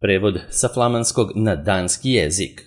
Prevod sa flamanskog na danski jezik.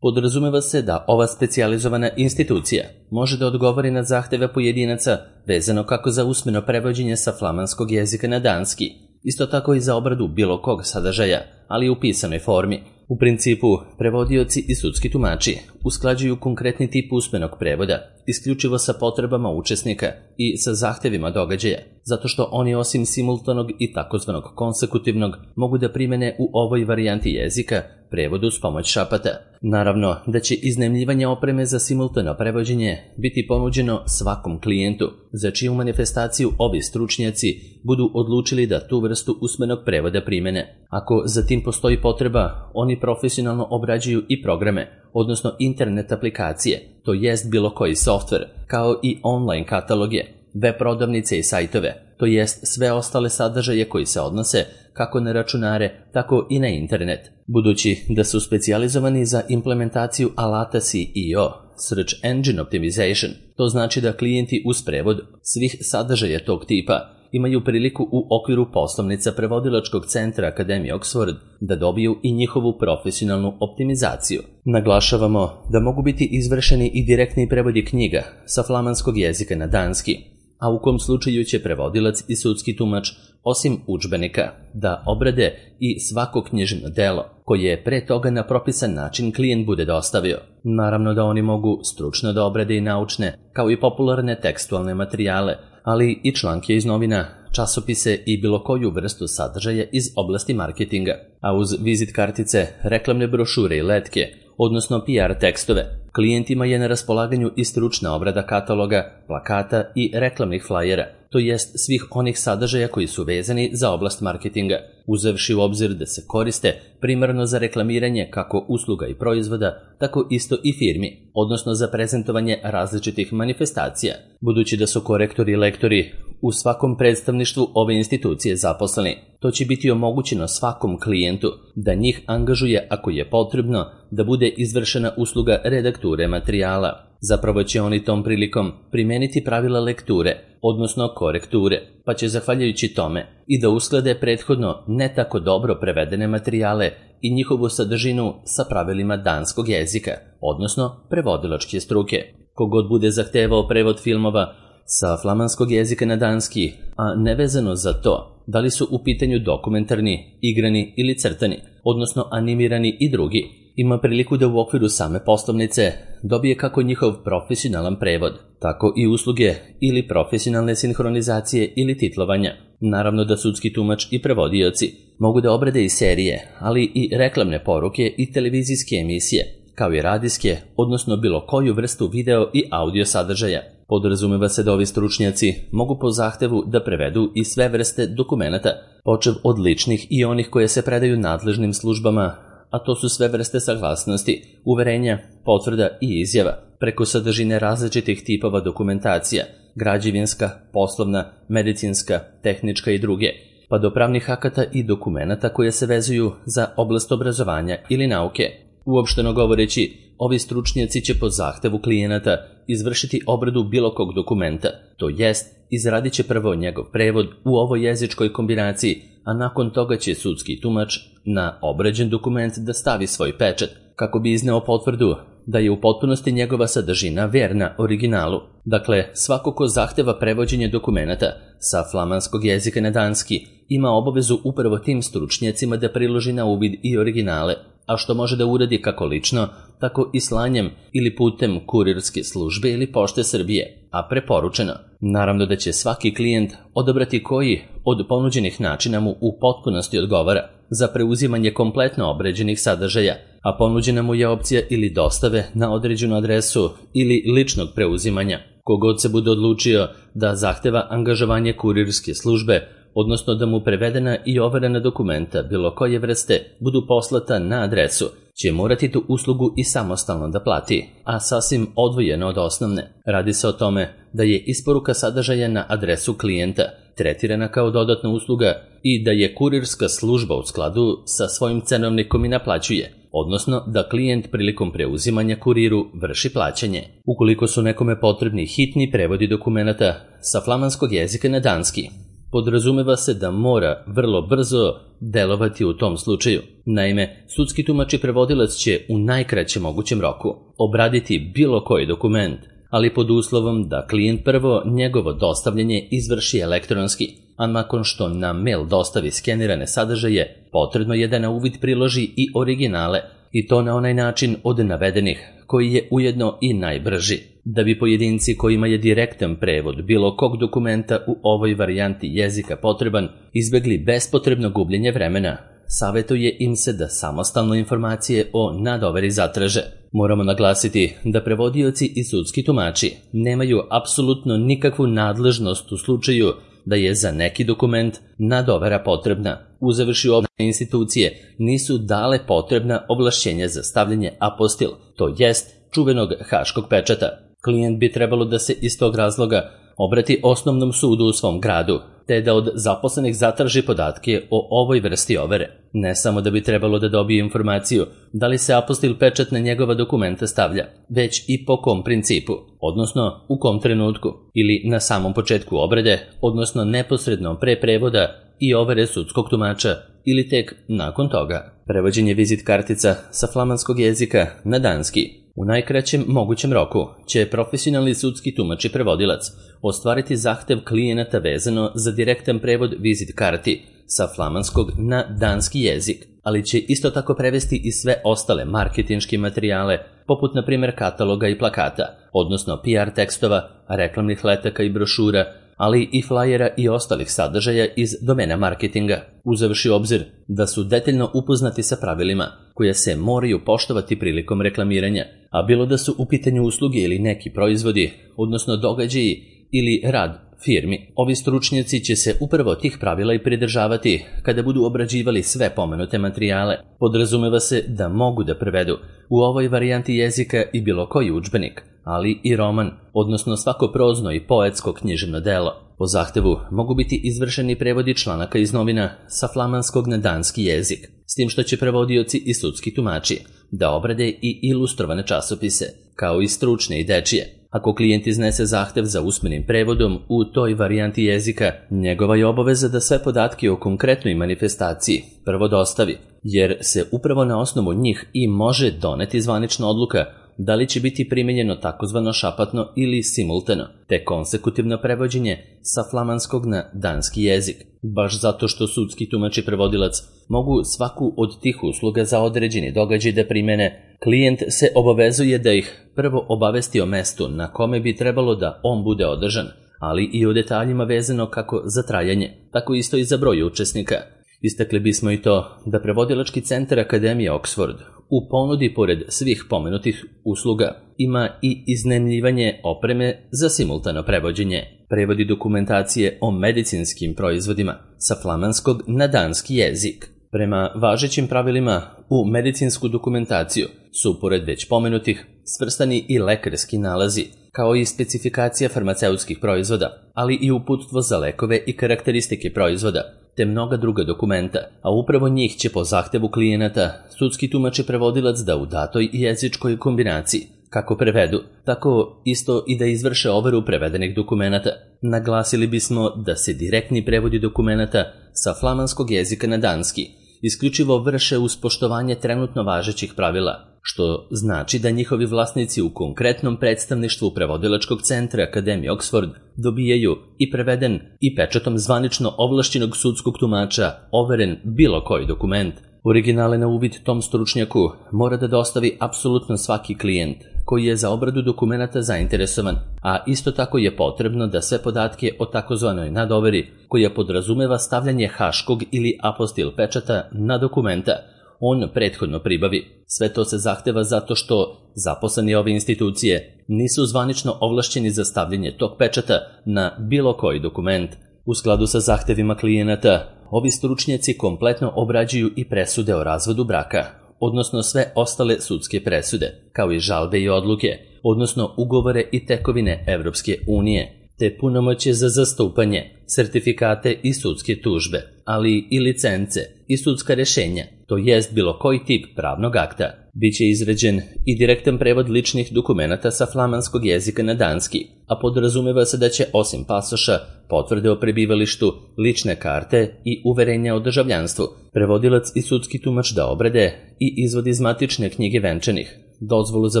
Podrazumeva se da ova specijalizovana institucija može da odgovori na zahteve pojedinaca vezano kako za usmeno prevođenje sa flamanskog jezika na danski, isto tako i za obradu bilo kog sadržaja, ali u pisanoj formi. U principu, prevodioci i sudski tumači usklađuju konkretni tip usmenog prevoda, isključivo sa potrebama učesnika i sa zahtevima događaja, zato što oni osim simultanog i takozvanog konsekutivnog mogu da primene u ovoj varijanti jezika prevod uz pomoć šapata. Naravno da će iznajmljivanje opreme za simultano prevođenje biti ponuđeno svakom klijentu, za čiju manifestaciju ovi stručnjaci budu odlučili da tu vrstu usmenog prevoda primene. Ako za tim postoji potreba, oni profesionalno obrađuju i programe, odnosno internet aplikacije, to jest bilo koji softver, kao i online kataloge, web prodavnice i sajtove, to jest sve ostale sadržaje koji se odnose kako na računare, tako i na internet. Budući da su specijalizovani za implementaciju alata SEO, Search Engine Optimization, to znači da klijenti uz prevod svih sadržaja tog tipa imaju priliku u okviru poslovnica prevodilačkog centra Akademije Oxford da dobiju i njihovu profesionalnu optimizaciju. Naglašavamo da mogu biti izvršeni i direktni prevodi knjiga sa flamanskog jezika na danski, a u kom slučaju će prevodilac i sudski tumač, osim udžbenika, da obrade i svako književno delo koje je pre toga na propisan način klijent bude dostavio. Naravno da oni mogu stručno da obrade i naučne, kao i popularne tekstualne materijale, ali i članke iz novina, časopise i bilo koju vrstu sadržaja iz oblasti marketinga, a uz vizit kartice, reklamne brošure i letke, odnosno PR tekstove. Klijentima je na raspolaganju i stručna obrada kataloga, plakata i reklamnih flajera, to jest svih onih sadržaja koji su vezani za oblast marketinga, uzevši u obzir da se koriste primarno za reklamiranje kako usluga i proizvoda, tako isto i firmi, odnosno za prezentovanje različitih manifestacija. Budući da su korektori i lektori u svakom predstavništvu ove institucije zaposleni, to će biti omogućeno svakom klijentu da njih angažuje ako je potrebno da bude izvršena usluga redakture materijala. Zapravo će oni tom prilikom primeniti pravila lekture, odnosno korekture, pa će zahvaljujući tome i da usklade prethodno ne tako dobro prevedene materijale i njihovu sadržinu sa pravilima danskog jezika, odnosno prevodilačke struke. Kogod bude zahtevao prevod filmova sa flamanskog jezika na danski, a nevezano za to da li su u pitanju dokumentarni, igrani ili crtani, odnosno animirani i drugi, ima priliku da u okviru same poslovnice dobije kako njihov profesionalan prevod, tako i usluge ili profesionalne sinhronizacije ili titlovanja. Naravno da sudski tumač i prevodioci mogu da obrade i serije, ali i reklamne poruke i televizijske emisije, kao i radijske, odnosno bilo koju vrstu video i audio sadržaja. Podrazumeva se da ovi stručnjaci mogu po zahtevu da prevedu i sve vrste dokumenata, počev od ličnih i onih koje se predaju nadležnim službama, a to su sve vrste saglasnosti, uverenja, potvrda i izjava, preko sadržine različitih tipova dokumentacija, građevinska, poslovna, medicinska, tehnička i druge, pa do pravnih akata i dokumenata koje se vezuju za oblast obrazovanja ili nauke. Uopšteno govoreći, ovi stručnjaci će po zahtevu klijenata izvršiti obradu bilo kog dokumenta, to jest izradit će prvo njegov prevod u ovoj jezičkoj kombinaciji, a nakon toga će sudski tumač na obrađen dokument da stavi svoj pečat, kako bi izneo potvrdu da je u potpunosti njegova sadržina verna originalu. Dakle, svako ko zahteva prevođenje dokumenata sa flamanskog jezika na danski ima obavezu upravo tim stručnjacima da priloži na uvid i originale, a što može da uradi kako lično, tako i slanjem ili putem kurirske službe ili pošte Srbije, a preporučeno. Naravno da će svaki klijent odabrati koji od ponuđenih načina mu u potpunosti odgovara za preuzimanje kompletno obrađenih sadržaja, a ponuđena mu je opcija ili dostave na određenu adresu ili ličnog preuzimanja. Kogod se bude odlučio da zahteva angažovanje kurirske službe, odnosno da mu prevedena i overena dokumenta bilo koje vrste budu poslata na adresu, će morati tu uslugu i samostalno da plati, a sasvim odvojeno od osnovne. Radi se o tome da je isporuka sadržaja na adresu klijenta tretirana kao dodatna usluga i da je kurirska služba u skladu sa svojim cenovnikom i naplaćuje, odnosno da klijent prilikom preuzimanja kuriru vrši plaćanje. Ukoliko su nekome potrebni hitni prevodi dokumenata sa flamanskog jezika na danski, podrazumeva se da mora vrlo brzo delovati u tom slučaju. Naime, sudski tumač i prevodilac će u najkraćem mogućem roku obraditi bilo koji dokument, ali pod uslovom da klijent prvo njegovo dostavljanje izvrši elektronski, a nakon što na mail dostavi skenirane sadržaje, potrebno je da na uvid priloži i originale, i to na onaj način od navedenih, koji je ujedno i najbrži. Da bi pojedinci kojima je direktan prevod bilo kog dokumenta u ovoj varijanti jezika potreban izbegli bespotrebno gubljenje vremena, savjetuje im se da samostalno informacije o nadoveri zatraže. Moramo naglasiti da prevodioci i sudski tumači nemaju apsolutno nikakvu nadležnost u slučaju da je za neki dokument nadovera potrebna. Uzevši obje institucije nisu dale potrebna ovlašćenja za stavljanje apostil, to jest čuvenog haškog pečata. Klijent bi trebalo da se iz tog razloga obrati osnovnom sudu u svom gradu, te da od zaposlenih zatraži podatke o ovoj vrsti overe. Ne samo da bi trebalo da dobije informaciju da li se apostil pečat na njegova dokumenta stavlja, već i po kom principu, odnosno u kom trenutku, ili na samom početku obrade, odnosno neposredno pre prevoda i overe sudskog tumača, ili tek nakon toga. Prevođenje vizit kartica sa flamanskog jezika na danski u najkraćem mogućem roku će profesionalni sudski tumač i prevodilac ostvariti zahtev klijenata vezano za direktan prevod vizit karti sa flamanskog na danski jezik, ali će isto tako prevesti i sve ostale marketinške materijale, poput na primjer kataloga i plakata, odnosno PR tekstova, reklamnih letaka i brošura, ali i flajera i ostalih sadržaja iz domena marketinga, uzevši obzir da su detaljno upoznati sa pravilima koje se moraju poštovati prilikom reklamiranja, a bilo da su u pitanju usluge ili neki proizvodi, odnosno događaji ili rad firmi. Ovi stručnjaci će se upravo tih pravila i pridržavati kada budu obrađivali sve pomenute materijale. Podrazumeva se da mogu da prevedu u ovoj varijanti jezika i bilo koji udžbenik, ali i roman, odnosno svako prozno i poetsko književno delo. Po zahtevu mogu biti izvršeni prevodi članaka iz novina sa flamanskog na danski jezik, s tim što će prevodioci i sudski tumači da obrade i ilustrovane časopise, kao i stručne i dečije. Ako klijent iznese zahtev za usmenim prevodom u toj varijanti jezika, njegova je obaveza da sve podatke o konkretnoj manifestaciji prvo dostavi, jer se upravo na osnovu njih i može doneti zvanična odluka da li će biti primenjeno takozvano šapatno ili simultano, te konsekutivno prevođenje sa flamanskog na danski jezik. Baš zato što sudski tumač i prevodilac mogu svaku od tih usluga za određeni događaj da primene, klijent se obavezuje da ih prvo obavesti o mestu na kome bi trebalo da on bude održan, ali i o detaljima vezano kako za trajanje, tako isto i za broj učesnika. Istakli bismo i to da prevodilački centar Akademije Oxford u ponudi pored svih pomenutih usluga ima i iznajmljivanje opreme za simultano prevođenje, prevodi dokumentacije o medicinskim proizvodima sa flamanskog na danski jezik. Prema važećim pravilima u medicinsku dokumentaciju su pored već pomenutih svrstani i lekarski nalazi, kao i specifikacija farmaceutskih proizvoda, ali i uputstvo za lekove i karakteristike proizvoda, te mnoga druga dokumenta, a upravo njih će po zahtevu klijenata sudski tumač i prevodilac da u datoj jezičkoj kombinaciji kako prevedu, tako isto i da izvrše overu prevedenih dokumenata. Naglasili bismo da se direktni prevodi dokumenata sa flamanskog jezika na danski isključivo vrše uz poštovanje trenutno važećih pravila, što znači da njihovi vlasnici u konkretnom predstavništvu prevodilačkog centra Akademije Oxford dobijaju i preveden i pečatom zvanično ovlašćenog sudskog tumača overen bilo koji dokument. Originale na uvid tom stručnjaku mora da dostavi apsolutno svaki klijent koji je za obradu dokumenata zainteresovan, a isto tako je potrebno da sve podatke o takozvanoj nadoveri, koja podrazumeva stavljanje haškog ili apostil pečata na dokumenta, on prethodno pribavi. Sve to se zahteva zato što zaposleni ove institucije nisu zvanično ovlašćeni za stavljanje tog pečata na bilo koji dokument. U skladu sa zahtevima klijenata, ovi stručnjaci kompletno obrađuju i presude o razvodu braka, odnosno sve ostale sudske presude, kao i žalbe i odluke, odnosno ugovore i tekovine Evropske unije, te punomoćje za zastupanje, sertifikate i sudske tužbe, ali i licence i sudska rešenja, to jest bilo koji tip pravnog akta. Biće izrađen i direktan prevod ličnih dokumenata sa flamanskog jezika na danski, a podrazumeva se da će osim pasoša, potvrde o prebivalištu, lične karte i uverenja o državljanstvu, prevodilac i sudski tumač da obrade i izvod iz matične knjige venčanih, dozvolu za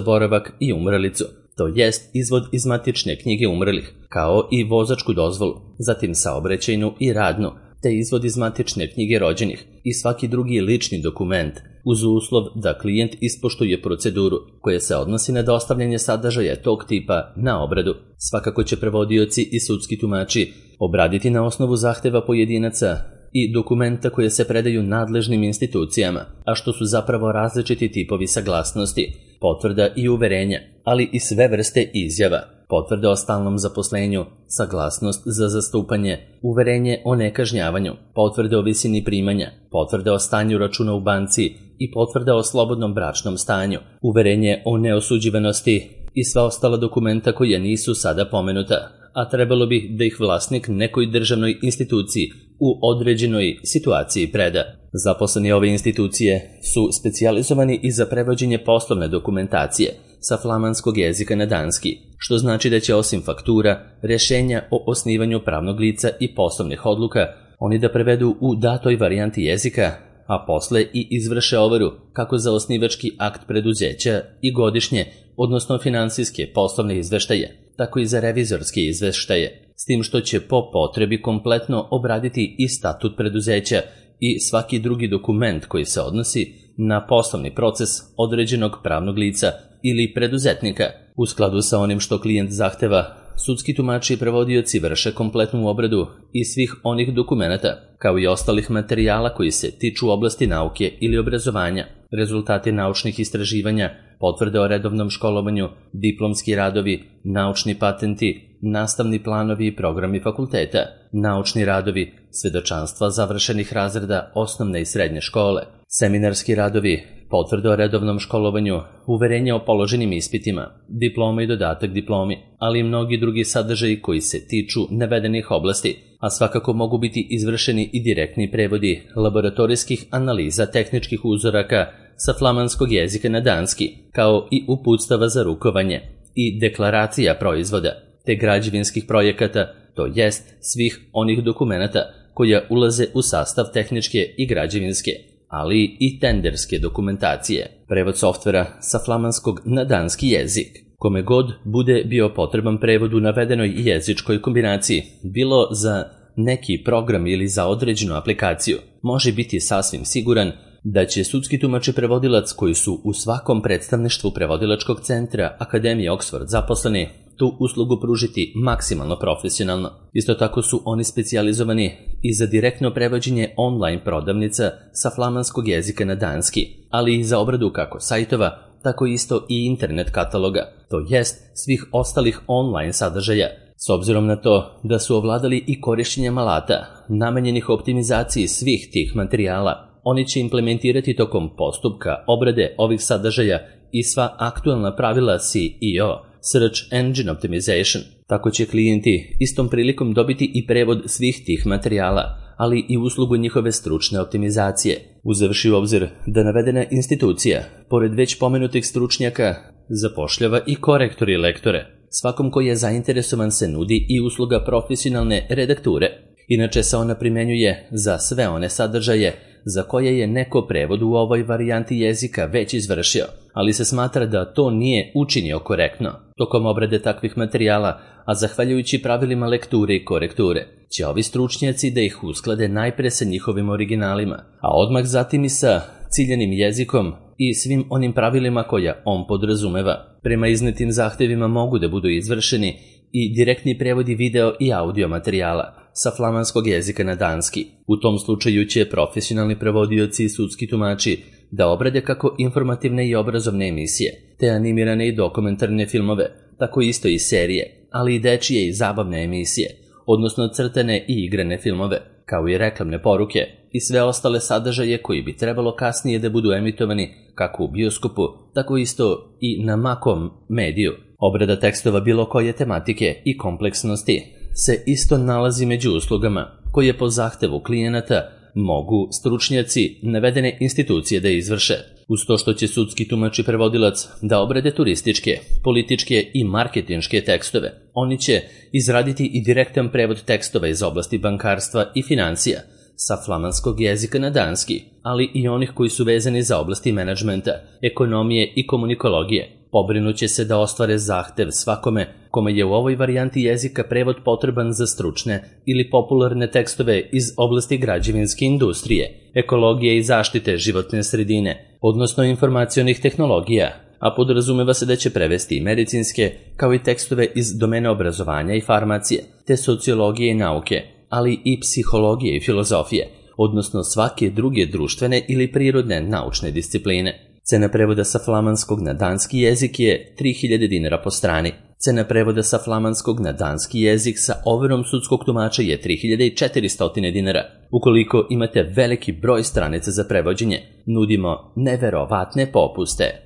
boravak i umrlicu, to jest izvod iz matične knjige umrlih, kao i vozačku dozvolu, zatim saobraćajnu i radnu, te izvod iz matične knjige rođenih i svaki drugi lični dokument, uz uslov da klijent ispoštuje proceduru koja se odnosi na dostavljanje sadržaja tog tipa na obradu. Svakako će prevodioci i sudski tumači obraditi na osnovu zahteva pojedinaca i dokumenta koje se predaju nadležnim institucijama, a što su zapravo različiti tipovi saglasnosti, potvrda i uverenja, ali i sve vrste izjava, potvrde o stalnom zaposlenju, saglasnost za zastupanje, uverenje o nekažnjavanju, potvrde o visini primanja, potvrde o stanju računa u banci i potvrde o slobodnom bračnom stanju, uverenje o neosuđivanosti i sva ostala dokumenta koja nisu sada pomenuta, a trebalo bi da ih vlasnik nekoj državnoj instituciji u određenoj situaciji preda. Zaposleni ove institucije su specijalizovani i za prevođenje poslovne dokumentacije sa flamanskog jezika na danski, što znači da će osim faktura, rješenja o osnivanju pravnog lica i poslovnih odluka, oni da prevedu u datoj varijanti jezika, a posle i izvrše overu kako za osnivački akt preduzeća i godišnje, odnosno finansijske poslovne izveštaje, tako i za revizorske izveštaje, s tim što će po potrebi kompletno obraditi i statut preduzeća i svaki drugi dokument koji se odnosi na poslovni proces određenog pravnog lica ili preduzetnika. U skladu sa onim što klijent zahteva, sudski tumači i prevodioci vrše kompletnu obradu i svih onih dokumenata, kao i ostalih materijala koji se tiču oblasti nauke ili obrazovanja, rezultati naučnih istraživanja, potvrde o redovnom školovanju, diplomski radovi, naučni patenti, nastavni planovi i programi fakulteta, naučni radovi, svedočanstva završenih razreda osnovne i srednje škole, seminarski radovi, potvrde o redovnom školovanju, uverenje o položenim ispitima, diploma i dodatak diplomi, ali i mnogi drugi sadržaji koji se tiču navedenih oblasti, a svakako mogu biti izvršeni i direktni prevodi laboratorijskih analiza tehničkih uzoraka sa flamanskog jezika na danski, kao i uputstava za rukovanje i deklaracija proizvoda, te građevinskih projekata, to jest svih onih dokumenata koja ulaze u sastav tehničke i građevinske, ali i tenderske dokumentacije, prevod softvera sa flamanskog na danski jezik. Kome god bude bio potreban prevod u navedenoj jezičkoj kombinaciji, bilo za neki program ili za određenu aplikaciju, može biti sasvim siguran da će sudski tumač i prevodilac koji su u svakom predstavništvu prevodilačkog centra Akademije Oxford zaposleni tu uslugu pružiti maksimalno profesionalno. Isto tako su oni specijalizovani i za direktno prevođenje online prodavnica sa flamanskog jezika na danski, ali i za obradu kako sajtova, tako isto i internet kataloga, to jest svih ostalih online sadržaja. S obzirom na to da su ovladali i korišćenjem alata, namenjenih optimizaciji svih tih materijala, oni će implementirati tokom postupka obrade ovih sadržaja i sva aktualna pravila SEO, Search Engine Optimization. Tako će klijenti istom prilikom dobiti i prevod svih tih materijala, ali i uslugu njihove stručne optimizacije. Uzevši u obzir da navedena institucija, pored već pomenutih stručnjaka, zapošljava i korektore i lektore. Svakom koji je zainteresovan se nudi i usluga profesionalne redakture. Inače se ona primenjuje za sve one sadržaje za koje je neko prevod u ovoj varijanti jezika već izvršio, ali se smatra da to nije učinio korektno. Tokom obrade takvih materijala, a zahvaljujući pravilima lekture i korekture, će ovi stručnjaci da ih usklade najpre sa njihovim originalima, a odmah zatim i sa ciljanim jezikom i svim onim pravilima koja on podrazumeva. Prema iznetim zahtevima mogu da budu izvršeni i direktni prevodi video i audio materijala sa flamanskog jezika na danski. U tom slučaju će profesionalni prevodioci i sudski tumači da obrade kako informativne i obrazovne emisije, te animirane i dokumentarne filmove, tako isto i serije, ali i dečije i zabavne emisije, odnosno crtane i igrane filmove, kao i reklamne poruke i sve ostale sadržaje koji bi trebalo kasnije da budu emitovani kako u bioskopu, tako isto i na makom mediju. Obrada tekstova bilo koje tematike i kompleksnosti se isto nalazi među uslugama koje po zahtevu klijenata mogu stručnjaci navedene institucije da izvrše. Uz to što će sudski tumač i prevodilac da obrade turističke, političke i marketinške tekstove, oni će izraditi i direktan prevod tekstova iz oblasti bankarstva i financija sa flamanskog jezika na danski, ali i onih koji su vezani za oblasti menadžmenta, ekonomije i komunikologije. Pobrinuće se da ostvare zahtev svakome kome je u ovoj varijanti jezika prevod potreban za stručne ili popularne tekstove iz oblasti građevinske industrije, ekologije i zaštite životne sredine, odnosno informacionih tehnologija, a podrazumeva se da će prevesti i medicinske, kao i tekstove iz domena obrazovanja i farmacije, te sociologije i nauke, ali i psihologije i filozofije, odnosno svake druge društvene ili prirodne naučne discipline. Cena prevoda sa flamanskog na danski jezik je 3000 dinara po strani. Cena prevoda sa flamanskog na danski jezik sa overom sudskog tumača je 3400 dinara. Ukoliko imate veliki broj stranica za prevođenje, nudimo neverovatne popuste.